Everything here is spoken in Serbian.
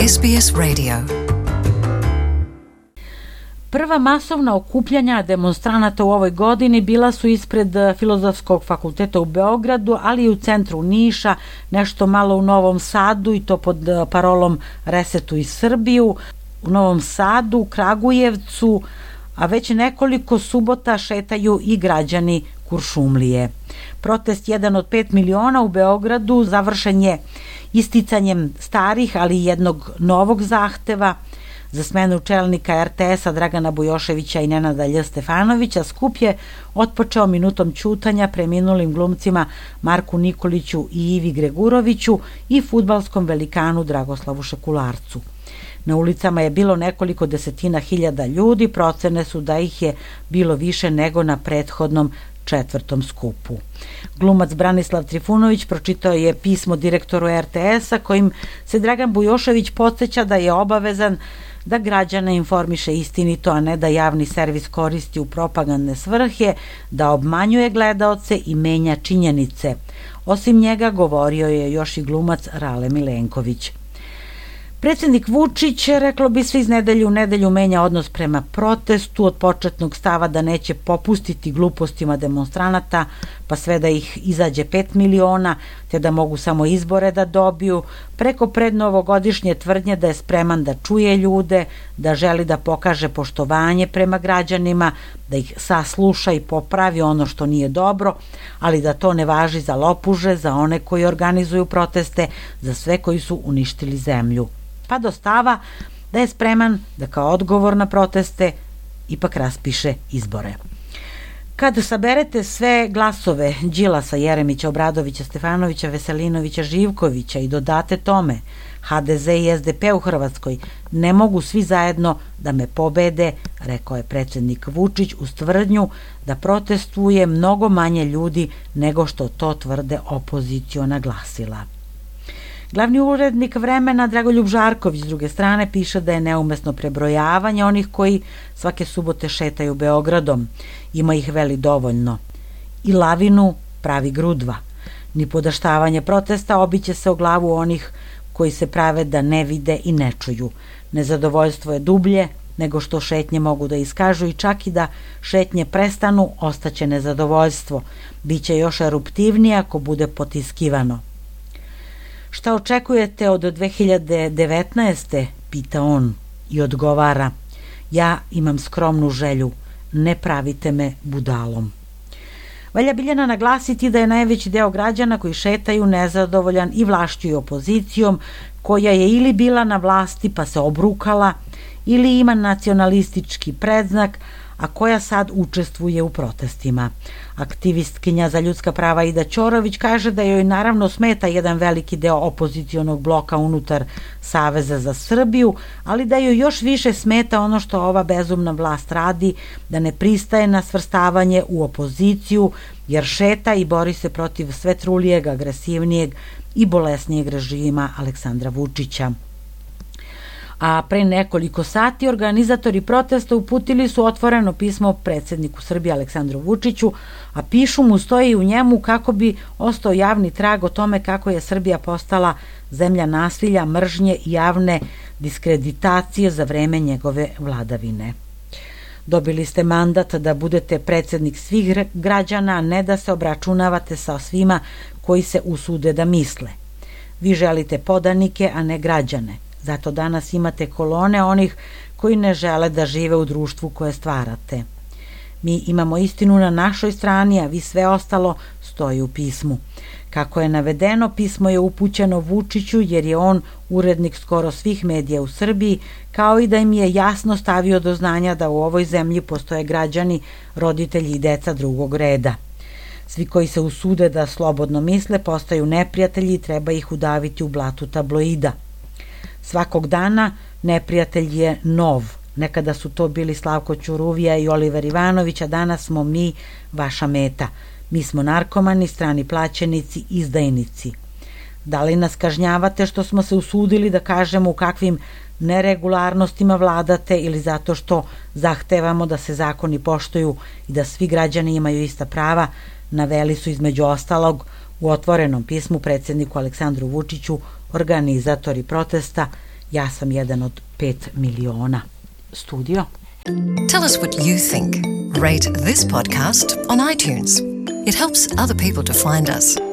SBS Radio. Prva masovna okupljanja demonstranata u ovoj godini bila su ispred Filozofskog fakulteta u Beogradu, ali i u centru Niša, nešto malo u Novom Sadu i to pod parolom Resetuj Srbiju, u Novom Sadu, Kragujevcu, a već nekoliko subota šetaju i građani Kuršumlije. Protest 1 od 5 miliona u Beogradu završen je isticanjem starih, ali i jednog novog zahteva za smenu čelnika RTS-a Dragana Bujoševića i Nenada Lj. Stefanovića. Skup je otpočeo minutom ćutanja preminulim glumcima Marku Nikoliću i Ivi Greguroviću i fudbalskom velikanu Dragoslavu Šekularcu. Na ulicama je bilo nekoliko desetina hiljada ljudi, procene su da ih je bilo više nego na prethodnom 4. skupu. Glumac Branislav Trifunović pročitao je pismo direktoru RTS-a kojim se Dragan Bujošević podsjeća da je obavezan da građane informiše istinito, a ne da javni servis koristi u propagandne svrhe, da obmanjuje gledaoce i menja činjenice. Osim njega govorio je još i glumac Rale Milenković. Predsjednik Vučić, reklo bi se, iz nedelju u nedelju menja odnos prema protestu, od početnog stava da neće popustiti glupostima demonstranata, pa sve da ih izađe 5 miliona, te da mogu samo izbore da dobiju, preko prednovogodišnje tvrdnje da je spreman da čuje ljude, da želi da pokaže poštovanje prema građanima, da ih sasluša i popravi ono što nije dobro, ali da to ne važi za lopuže, za one koji organizuju proteste, za sve koji su uništili zemlju. Pa do stava da je spreman da kao odgovor na proteste ipak raspiše izbore. Kad saberete sve glasove Đilasa, Jeremića, Obradovića, Stefanovića, Veselinovića, Živkovića i dodate tome HDZ i SDP u Hrvatskoj, ne mogu svi zajedno da me pobede, rekao je predsjednik Vučić uz tvrdnju da protestuje mnogo manje ljudi nego što to tvrde opoziciona glasila. Glavni urednik Vremena Dragoljub Žarković s druge strane piše da je neumesno prebrojavanje onih koji svake subote šetaju Beogradom. Ima ih veli dovoljno. I lavinu pravi grudva. Ni podaštavanje protesta obiće se o glavu onih koji se prave da ne vide i ne čuju. Nezadovoljstvo je dublje nego što šetnje mogu da iskažu i čak i da šetnje prestanu, ostaće nezadovoljstvo. Biće još eruptivnije ako bude potiskivano. Šta očekujete od 2019. pita on i odgovara: ja imam skromnu želju, ne pravite me budalom. Valja Biljana naglasiti da je najveći deo građana koji šetaju nezadovoljan i vlašću i opozicijom, koja je ili bila na vlasti pa se obrukala, ili ima nacionalistički predznak, a koja sad učestvuje u protestima. Aktivistkinja za ljudska prava Ida Ćorović kaže da joj naravno smeta jedan veliki deo opozicionog bloka unutar Saveza za Srbiju, ali da joj još više smeta ono što ova bezumna vlast radi, da ne pristaje na svrstavanje u opoziciju, jer šeta i bori se protiv sve trulijeg, agresivnijeg i bolesnijeg režima Aleksandra Vučića. A pre nekoliko sati organizatori protesta uputili su otvoreno pismo predsjedniku Srbije Aleksandru Vučiću, a pišu mu, stoji u njemu kako bi ostao javni trag o tome kako je Srbija postala zemlja nasilja, mržnje i javne diskreditacije za vreme njegove vladavine. Dobili ste mandat da budete predsjednik svih građana, a ne da se obračunavate sa svima koji se usude da misle. Vi želite podanike, a ne građane. Zato danas imate kolone onih koji ne žele da žive u društvu koje stvarate. Mi imamo istinu na našoj strani, a vi sve ostalo stoji u pismu. Kako je navedeno, pismo je upućeno Vučiću jer je on urednik skoro svih medija u Srbiji, kao i da im je jasno stavio do znanja da u ovoj zemlji postoje građani, roditelji i deca drugog reda. Svi koji se usude da slobodno misle postaju neprijatelji i treba ih udaviti u blatu tabloida. Svakog dana neprijatelj je nov. Nekada su to bili Slavko Ćuruvija i Oliver Ivanović, a danas smo mi vaša meta. Mi smo narkomani, strani plaćenici, izdajnici. Da li nas kažnjavate što smo se usudili da kažemo u kakvim neregularnostima vladate ili zato što zahtevamo da se zakoni poštuju i da svi građani imaju ista prava, naveli su između ostalog u otvorenom pismu predsjedniku Aleksandru Vučiću organizatori protesta Ja sam jedan od 5 miliona. Studio. Tell us what you think. Rate this podcast on iTunes. It helps other people to find us.